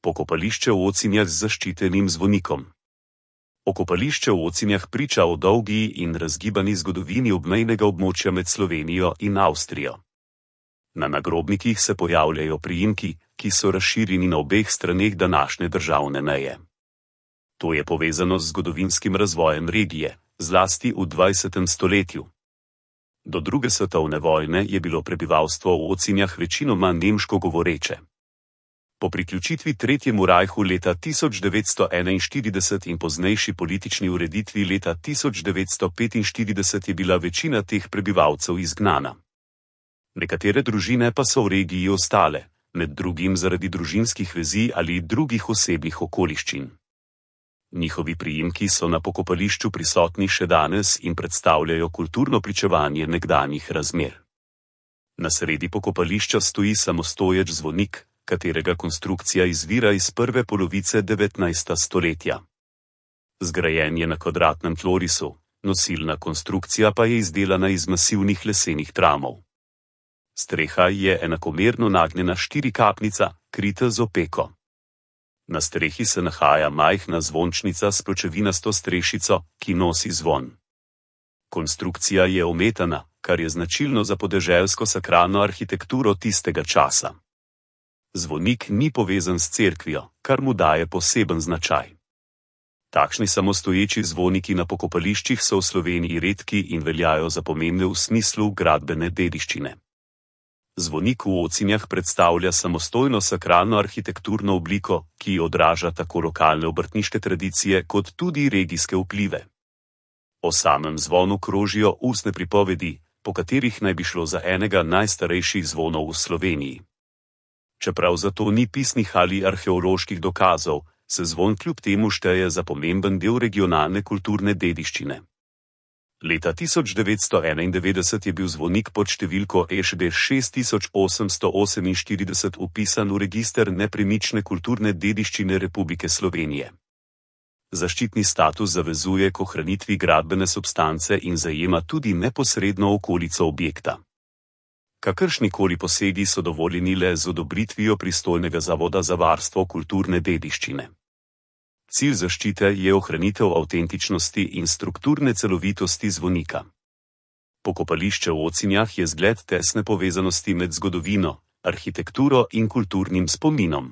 Pokopališče v Ocinjah z zaščitenim zvonikom. Pokopališče v Ocinjah priča o dolgi in razgibani zgodovini obmejnega območja med Slovenijo in Avstrijo. Na nagrobnikih se pojavljajo priimki, ki so razširjeni na obeh straneh današnje državne meje. To je povezano z zgodovinskim razvojem regije, zlasti v 20. stoletju. Do druge svetovne vojne je bilo prebivalstvo v Ocinjah večinoma nemško govoreče. Po priključitvi Tretjemu rajhu leta 1941 in poznejši politični ureditvi leta 1945 je bila večina teh prebivalcev izgnana. Nekatere družine pa so v regiji ostale, med drugim zaradi družinskih vezi ali drugih osebnih okoliščin. Njihovi priimki so na pokopališču prisotni še danes in predstavljajo kulturno pričevanje nekdanjih razmer. Na sredi pokopališča stoji samostoječ zvonik, katerega konstrukcija izvira iz prve polovice 19. stoletja. Zgrajen je na kvadratnem tlorisu, nosilna konstrukcija pa je izdelana iz masivnih lesenih tramov. Streha je enakomerno nagnjena štirikapnica, krita z opeko. Na strehi se nahaja majhna zvončnica s pločevinasto strešico, ki nosi zvon. Konstrukcija je ometana, kar je značilno za podeželsko sakralno arhitekturo tistega časa. Zvonik ni povezan s cerkvijo, kar mu daje poseben značaj. Takšni samostoječi zvoniki na pokopališčih so v Sloveniji redki in veljajo za pomembne v smislu gradbene dediščine. Zvonik v Ocinjah predstavlja samostojno sakralno arhitekturno obliko, ki odraža tako lokalne obrtniške tradicije kot tudi regijske vplive. O samem zvonu krožijo ustne pripovedi, po katerih naj bi šlo za enega najstarejših zvonov v Sloveniji. Čeprav za to ni pisnih ali arheoloških dokazov, se zvon kljub temu šteje za pomemben del regionalne kulturne dediščine. Leta 1991 je bil zvonik pod številko EŠB 6848 vpisan v register nepremične kulturne dediščine Republike Slovenije. Zaščitni status zavezuje k ohranitvi gradbene substance in zajema tudi neposredno okolico objekta. Kakršnikoli posegi so dovoljeni le z odobritvijo pristojnega Zavoda za varstvo kulturne dediščine. Cilj zaščite je ohranitev avtentičnosti in strukturne celovitosti zvonika. Pokopališče v Ocinjah je zgled tesne povezanosti med zgodovino, arhitekturo in kulturnim spominom.